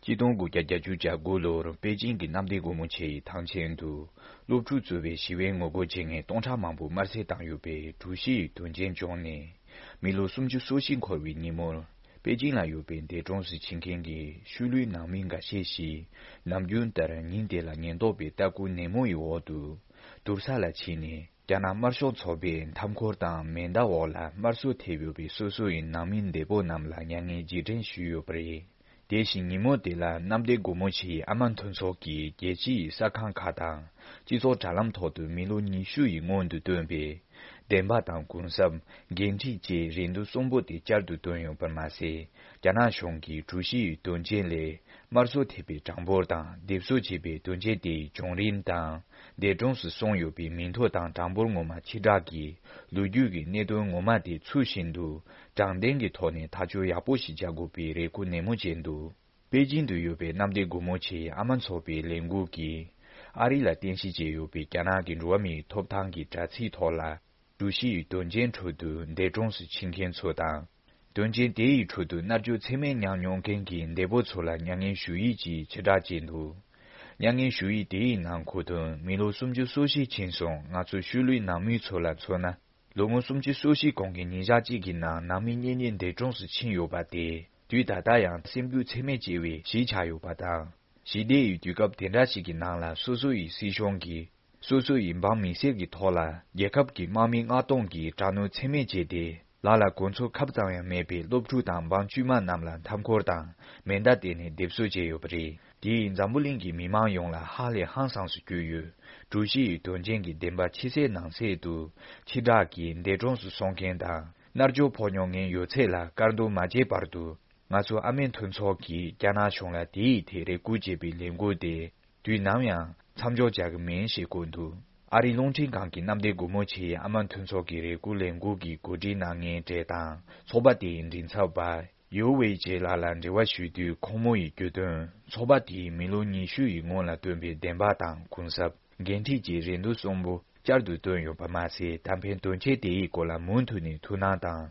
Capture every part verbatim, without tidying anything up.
གཅིག་སྟོང་དགུ་བརྒྱ་བརྒྱད་ཅུ་གྱ་དགུ་ལོར་པེ་ཅིང་གི་གནམ་བདེ་སྒོ་མོ་ཆེའི་ཐང་ཆེན་དུ། སློབ་ཕྲུག་གཙོས་པའི་ཞི་བའི་ངོ་རྒོལ་བྱེད་མཁན་སྟོང་ཕྲག་མང་པོ་དམར་གསོད་བཏང་ཡོད་པའི་གྲུ་བཞི་ཡི་དོན་རྐྱེན་བྱུང་ནས། མི་ལོ་སུམ་ཅུ་སོ་བཞི་འཁོར་བའི་ཉིན་མོར། པེ་ཅིང་ལ་ཡོད་པའི་འདས་གྲོངས་སུ་ཕྱིན་མཁན་གྱི་ཤུལ་ལུས་ནང་མི་འགའ་ཤས་ཤིག་ནམ་རྒྱུན་ལྟར་ཉིན་དེ་ལ་ཉེན་རྟོག་པའི་ལྟ་སྐུལ་ནན་མོ་ཡི་འོག་ཏུ། དུར་ས་ལ་ཕྱིན་ནས། རྒྱ་ནག་དམར་ཤོག་ཚོགས་པའི་མཐའ་འཁོར་དང་མེ་མདའ་འོག་ལ་དམར་གསོད་ཐེབས་ཡོད་པའི་སོ་སོ་ཡི་ནང་མི་འདས་པོ་རྣམས་ལ་མྱ་ངན་རྗེས་དྲན་ཞུས་ཡོད་པ་རེད། དེ་བཞིན་ཉིན་མོ་དེ་ལ་གནམ་བདེ་སྒོ་མོ་ཆེའི་ཨ་མ་མཐུན་ཚོགས་ཀྱིས་རྒྱལ་སྤྱི་ཡི་གསར་ཁང་ཁག་དང་། སྤྱི་ཚོགས་དྲ་ལམ་ཐོག་ཏུ་མི་ལོ་ཉི་ཤུ་ཡི་སྔོན་དུ་བཏོན་པའི། བདེན་པ་དང་གུན་གསབ། འགན་འཁྲི་བཅས་རེ་འདུན་གསུམ་པོ་དེ་བསྐྱར་དུ་བཏོན་ཡོད་པར་མ་ཟད། རྒྱ་ནག་གཞུང་གིས་གྲུ་བཞི་ཡི་དོན་རྐྱེན་ལས། དམར་གསོད་ཐེབས་པའི་གྲངས་འབོར་དང་སྡེབ་གསོད་བྱས་པའི་དོན་རྐྱེན་དེའི་བྱུང་རིམ་དང་། འདས་གྲོངས་སུ་སོང་ཡོད་པའི་མིང་ཐོ་དང་གྲངས་འབོར་ངོ་མ་ཕྱིར་བསྒྲགས་ཀྱིས། ལོ་རྒྱུས་ཀྱི་གནད་དོན་ངོ་མ་དེ་ཚུལ་བཞིན་དུ། དྲང་བདེན་གྱི་ཐོག་ནས་ཐག་གཅོད་ཡག་པོ་ཞིག་བྱ་དགོས་པའི་རེ་སྐུལ་ནན་མོ་བྱས་འདུག་པེ་ཅིང་དུ་ཡོད་པའི་གནམ་བདེ་སྒོ་མོ་ཆེའི་ཨ་མ་ཚོགས་པའི་ལས་འགུལ་གྱིས། ཨ་རི་ལ་རྟེན་གཞི་བྱས་ཡོད་པའི་རྒྱ་ནག་གི་འགྲོ་བ་མིའི་ཐོབ་ཐང་གི་དྲ་ཚིགས་ཐོག་ལ། གྲུ་བཞི་ཡི་དོན་རྐྱེན་ཁྲོད་དུ་འདས་གྲོངས་སུ་ཕྱིན་མཁན་ཚོ་དང་། དོན་རྐྱེན་དེ་ཡི་ཁྲོད་དུ་མནར་གཅོད་ཚད་མེད་མྱངས་མྱོང་མཁན་གྱི་འདས་པོ་ཚོ་ལ་མྱ་ངན་ཞུ་ཡིག་ཅིག་ཕྱིར་བསྒྲགས་བྱས་འདུག་མྱ་ངན་ཞུ་ཡིག་དེ་ཡི་ནང་གོ་དོན། མི་ལོ་སུམ་ཅུ་སོ་བཞི་ཕྱིན་སོང་། ང་ཚོ་ཤུལ་ལུས་ནང་མི་ཚོ་ལ་མཚོན་ན། ལོ་ངོ་སུམ་ཅུ་སོ་བཞི་གོང་གི་ཉིན་ཞག་གཅིག་གི་ནང་ནང་མི་གཉེན་ཉེ་འདས་གྲོངས་སུ་ཕྱིན་ཡོད་པ་དེ། དུས་ད་ལྟ་ཡང་སེམས་འགུལ་ཚད་མེད་སྐྱེ་བའི་གཞི་ཆགས་ཡོད་པ་དང་། ཞི་བདེ་ཡི་དུས་སྐབས་དེ་འདྲ་ཞིག་གི་ནང་ལ་སོ་སོ་ཡི་སྲིད་གཞུང་གིས། སོ་སོ་ཡི་འབངས་མི་སེར་གྱི་ཐོག་ལ་རྒྱལ་ཁབ་ཀྱི་དམག་མི་མངགས་གཏོང་གིས་དྲག་གནོན་ཚད་མེད་བྱས་ཏེ། ལག་ལ་གོ་མཚོན་ཁབ་ཙམ་ཡང་མེད་པའི་སློབ་ཕྲུག་དང་འབངས་དཀྱུས་མ་རྣམས་ལ་མཐའ་འཁོར་དང་མེ་མདའ་བསྟན་ནས་སྡེབ་གསོད་བྱས་ཡོད་པ་རེད། དེས་འཛམ་བུ་གླིང་གི་མི་མང་ཡོངས་ལ་ཧ་ལས་ཧང་སངས་སུ་གྱུར་ཡོད། གྲུ་བཞི་ཡི་དོན་རྐྱེན་གྱི་བདེན་པ་ཕྱི་གསལ་ནང་གསལ་དུ་ཕྱིར་བསྒྲགས་ཀྱིས་འདས་གྲོངས་སུ་སོང་མཁན་དང་མནར་གཅོད་ཕོག་མྱོང་མཁན་ཡོད་ཚད་ལ་བཀར་འདོན་མ་བྱས་བར་དུ། ང་ཚོ་ཨ་མའི་མཐུན་ཚོགས་ཀྱིས་རྒྱ་ནག་གཞུང་ལ་དེའི་ཐད་རེ་སྐུལ་བྱེད་པའི་ལས་འགུལ་དེ། དུས་ནམ་ཡང་མཚམས་འཇོག་བྱ་གི་མིན་ཞེས་བཀོད་འདུག་ཨ་རིའི་རླུང་འཕྲིན་ཁང་གི་གནམ་བདེ་སྒོ་མོ་ཆེའི་ཨ་མ་མཐུན་ཚོགས་ཀྱི་རེ་སྐུལ་ལས་འགུལ་གྱི་གོ་སྒྲིག་གནང་མཁན་གྲས་དང་ཚོགས་པ་དེའི་མགྲིན་ཚབ་པ་ཡོ་ཝེ་ཇེ་ལགས་ལ་འབྲེལ་བ་ཞུས་དུས། ཁོང་མོ་ཡིས་བརྗོད་དོན། ཚོགས་པ་དེའི་མི་ལོ་ཉི་ཤུ་ཡི་སྔོན་ལ་བཏོན་པའི་བདེན་པ་དང་གུན་གསབ། འགན་འཁྲི་བཅས་རེ་འདུན་གསུམ་པོ་བསྐྱར་དུ་བཏོན་ཡོད་པ་མ་ཟད། ད་ཕན་དོན་ཆེན་དེ་ཡི་སྐོར་ལ་མུ་མཐུད་ནས་ཐུགས་སྣང་དང་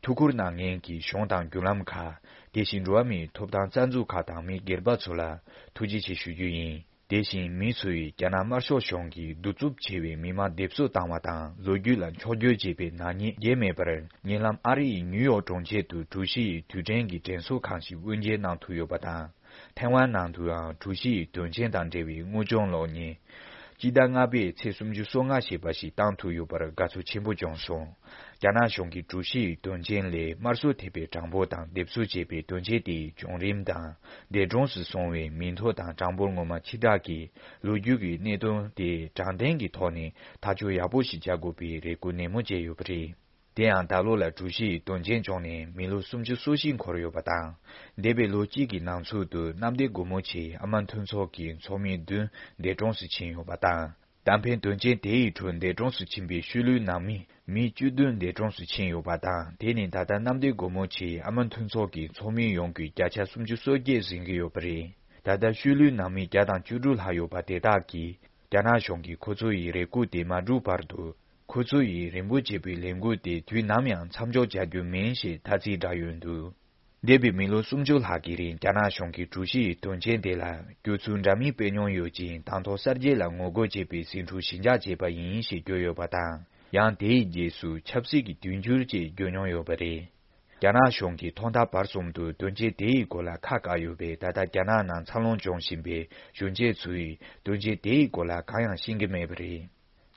ཐུགས་ཁུར་གནང་མཁན་གྱི་གཞུང་དང་བརྒྱུད་ལམ་ཁག་དེ་བཞིན་འགྲོ་བ་མིའི་ཐོབ་ཐང་རྩ་འཛུགས་ཁག་དང་མི་སྒེར་པ་ཚོ་ལ་ཐུགས་རྗེ་ཆེ་ཞུ་རྒྱུ་ཡིན། དེ་བཞིན་མི་ཚོས་རྒྱ་ནག་དམར་ཤོག་གཞུང་གིས་གདུག་རྩུབ་ཆེ་བའི་མི་མང་སྡེབ་གསོད་བཏང་བ་དང་ལོ་རྒྱུས་ལ་འཕྱོག་བསྐྱོད་བྱས་པའི་ནག་ཉེས་བརྗེད་མེད་པར། ཉེ་ལམ་ཨ་རི་ཡི་ནིའུ་ཡོག་གྲོང་ཁྱེར་དུ་གྲུ་བཞི་ཡི་དུས་དྲན་གྱི་དྲན་གསོ་ཁང་ཞིག་དབུ་འབྱེད་གནང་ཐུབ་ཡོད་པ་དང་། ཐེ་ཝན་ནང་དུའང་གྲུ་བཞི་ཡི་དོན་རྐྱེན་དང་འབྲེལ་བའི་དངོས་བྱུང་གློག་བརྙན། སྤྱི་ཟླ་ལྔ་པའི་ཚེས་སུམ་ཅུ་སོ་ལྔ་ཞེས་པ་ཞིག་བཏང་ཐུབ་ཡོད་པར་དགའ་ཚོར་ཆེན་པོ་བྱུང་སོང་། རྒྱ་ནག་གཞུང་གིས་གྲུ་བཞི་ཡི་དོན་རྐྱེན་ལས་དམར་གསོད་ཐེབས་པའི་གྲངས་འབོར་དང་སྡེབ་གསོད་བྱས་པའི་དོན་རྐྱེན་དེའི་བྱུང་རིམ་དང་། འདས་གྲོངས་སུ་སོང་བའི་མིང་ཐོ་དང་གྲངས་འབོར་ངོ་མ་ཕྱིར་བསྒྲགས་ཀྱིས། ལོ་རྒྱུས་ཀྱི་གནད་དོན་དེ་དྲང་བདེན་གྱི་ཐོག་ནས་ཐག་གཅོད་ཡག་པོ་ཞིག་བྱ་དགོས་པའི་རེ་སྐུལ་ནན་མོ་བྱས་ཡོད་པ་རེད། དེ་ཡང་ད་ལོ་ལ་གྲུ་བཞི་ཡི་དོན་རྐྱེན་བྱུང་ནས་མི་ལོ་སུམ་ཅུ་སོ་བཞི་འཁོར་ཡོད་པ་དང་། འདས་པའི་ལོ་གཅིག་གི་ནང་ཚུད་དུ་གནམ་བདེ་སྒོ་མོ་ཆེའི་ཨ་མ་མཐུན་ཚོགས་ཀྱི་ཚོགས་མི་བདུན་འདས་གྲོངས་སུ་ཕྱིན་ཡོད་པ་དང་། ད་ཕན་དོན་རྐྱེན་དེ་ཡི་ཁྲོད་འདས་གྲོངས་སུ་ཕྱིན་པའི་ཤུལ་ལུས་ནང་མི་མི་བཅུ་བདུན་འདས་གྲོངས་སུ་ཕྱིན་ཡོད་པ་དང་། དེ་ནི་ད་ལྟ་གནམ་བདེ་སྒོ་མོ་ཆེའི་ཨ་མ་མཐུན་ཚོགས་ཀྱི་ཚོགས་མི་ཡོངས་ཀྱི་བརྒྱ་ཆ་སུམ་ཅུ་སོ་བརྒྱད་ཟིན་གྱི་ཡོད་པ་རེད། ད་ལྟ་ཤུལ་ལུས་ནང་མི་བརྒྱ་དང་བཅུ་དྲུག་ལྷག་ཡོད་པ་དེ་དག་གིས། རྒྱ་ནག་གཞུང་གིས་ཁོ་ཚོ་ཡི་རེ་སྐུལ་དེ་མ་འགྲུབ་བར་དུ། ཁོ་ཚོ་ཡི་རིམ་པོ་བྱས་པའི་ལས་འགུལ་དེ་དུས་ནམ་ཡང་མཚམས་འཇོག་བྱ་རྒྱུ་མིན་ཞེས་ཐ་ཚིག་བསྒྲགས་ཡོད་འདུག་འདས་པའི་མི་ལོ་སུམ་ཅུ་ལྷག་གི་རིང་རྒྱ་ནག་གཞུང་གིས་གྲུ་བཞི་ཡི་དོན་རྐྱེན་དེ་ལ་སྐྱོ་ཚུལ་འདྲ་མིན་སྤེལ་མྱོང་ཡོད་ཅིང་། དང་ཐོག་གསར་བརྗེ་ལ་ངོ་རྒོལ་བྱེད་པའི་ཟིང་འཁྲུག་ཞི་འཇགས་བྱས་པ་ཡིན་ཞེས་བརྗོད་ཡོད་པ་དང་། ཡང་དེའི་རྗེས་སུ་ཆབ་སྲིད་ཀྱི་དུས་འགྱུར་ཅེས་བརྗོད་མྱོང་ཡོད་པ་རེད། རྒྱ་ནག་གཞུང་གིས་ཐོག་མཐའ་བར་གསུམ་དུ་དོན་རྐྱེན་དེ་ཡི་སྐོར་ལ་ཁ་བཀག་ཡོད་པས། ད་ལྟ་རྒྱ་ནག་ནང་འཚར་ལོངས་འབྱུང་བཞིན་པའི་གཞོན་སྐྱེས་ཚོས་དོན་རྐྱེན་དེ་ཡི་སྐོར་ལ་གང་ཡང་ཤེས་ཀྱི་མེད་པ་རེད།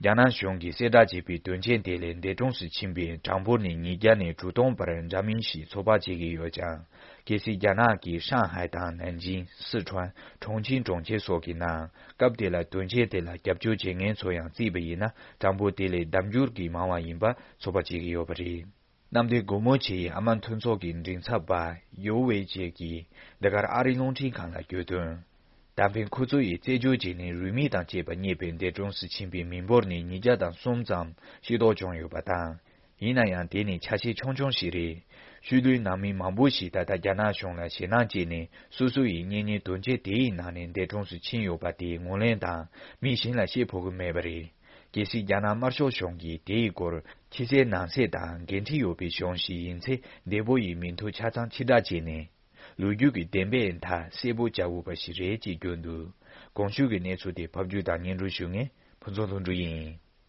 རྒྱ་ནག་གཞུང་གིས་གསལ་བསྒྲགས་བྱས་པའི་དོན་རྐྱེན་དེ་ལས་འདས་གྲོངས་སུ་ཕྱིན་པའི་གྲངས་འབོར་ནི་ཉིས་བརྒྱ་ནས་དྲུག་སྟོང་བར་འདྲ་མིན་ཞིག་ཚོད་དཔག་བྱེད་ཀྱི་ཡོད་ཀྱང་། གལ་སྲིད་རྒྱ་ནག་གི་ཧྲང་ཧའེ་དང་ནན་ཅིང་། སི་ཁྲོན། ཁྲུང་ཆིང་གྲོང་ཁྱེར་སོགས་ཀྱི་ནང་སྐབས་དེ་ལ་དོན་རྐྱེན་དེ་ལ་རྒྱབ་སྐྱོར་བྱེད་མཁན་ཚོ་ཡང་བརྩིས་པ་ཡིན་ན། གྲངས་འབོར་དེ་ལས་ལྡབ་འགྱུར་གྱིས་མང་བ་ཡིན་པ་ཚོད་དཔག་བྱེད་ཀྱི་ཡོད་པ་རེད། གནམ་བདེ་སྒོ་མོ་ཆེའི་ཨ་མ་མཐུན་ཚོགས་ཀྱི་མགྲིན་ཚབ་པ་ཡོ་ཝེ་ཅེ་གིས་འདི་གར་ཨ་རིའི་རླུང་འཕྲིན་ཁང་ལ་བརྗོད་དོན། ད་ཕན་ཁོ་ཚོ་ཡིས་རྩད་གཅོད་བྱས་ནས་རུས་མིང་དང་བཅས་པ་རྙེད་པའི་འདས་གྲོངས་སུ་ཕྱིན་པའི་མི་འབོར་ནི་ཉིས་བརྒྱ་དང་གསུམ་ཙམ་ཤེས་རྟོགས་བྱུང་ཡོད་པ་དང་། ཡིན་ན་ཡང་དེ་ནི་ཆ་ཤས་ཆུང་ཆུང་ཞིག་རེད། ཤུལ་ལུས་ནང་མི་མང་པོ་ཞིག་ད་ལྟ་རྒྱ་ནག་གཞུང་ལ་ཞེད་སྣང་སྐྱེས་ནས་སོ་སོ་ཡི་གཉེན་ཉེ་དོན་རྐྱེན་དེ་ཡི་ནང་ནས་འདས་གྲོངས་སུ་ཕྱིན་ཡོད་པ་དེ་ངོས་ལེན་དང་མི་གཞན་ལ་བཤད་ཕོད་ཀྱི་མེད་པ་རེད། གལ་སྲིད་རྒྱ་ནག་དམར་ཤོག་གཞུང་གིས་དེ་ཡི་སྐོར་ཕྱི་གསལ་ནང་གསལ་དང་འགན་འཁྲི་ཡོད་པའི་གཞུང་ཞིག་ཡིན་ཚེ། འདས་པོ་ཡི་མིང་ཐོ་ཆ་ཚང་ཕྱིར་བསྒྲགས་བྱས་ནས། ལོ་རྒྱུས་ཀྱི་བདེན་པའི་མཐའ་གསལ་པོ་བྱ་དགོས་པ་ཞིག་རེད་ཅེས་བརྗོད་འདུག་གོང་ཞུས་ཀྱི་གནས་ཚུལ་དེ་ཕབ་སྒྱུར་དང་སྙན་སྒྲོན་ཞུ་མཁན་ཕུན་ཚོགས་ལྷུན་གྲུབ་ཡིན།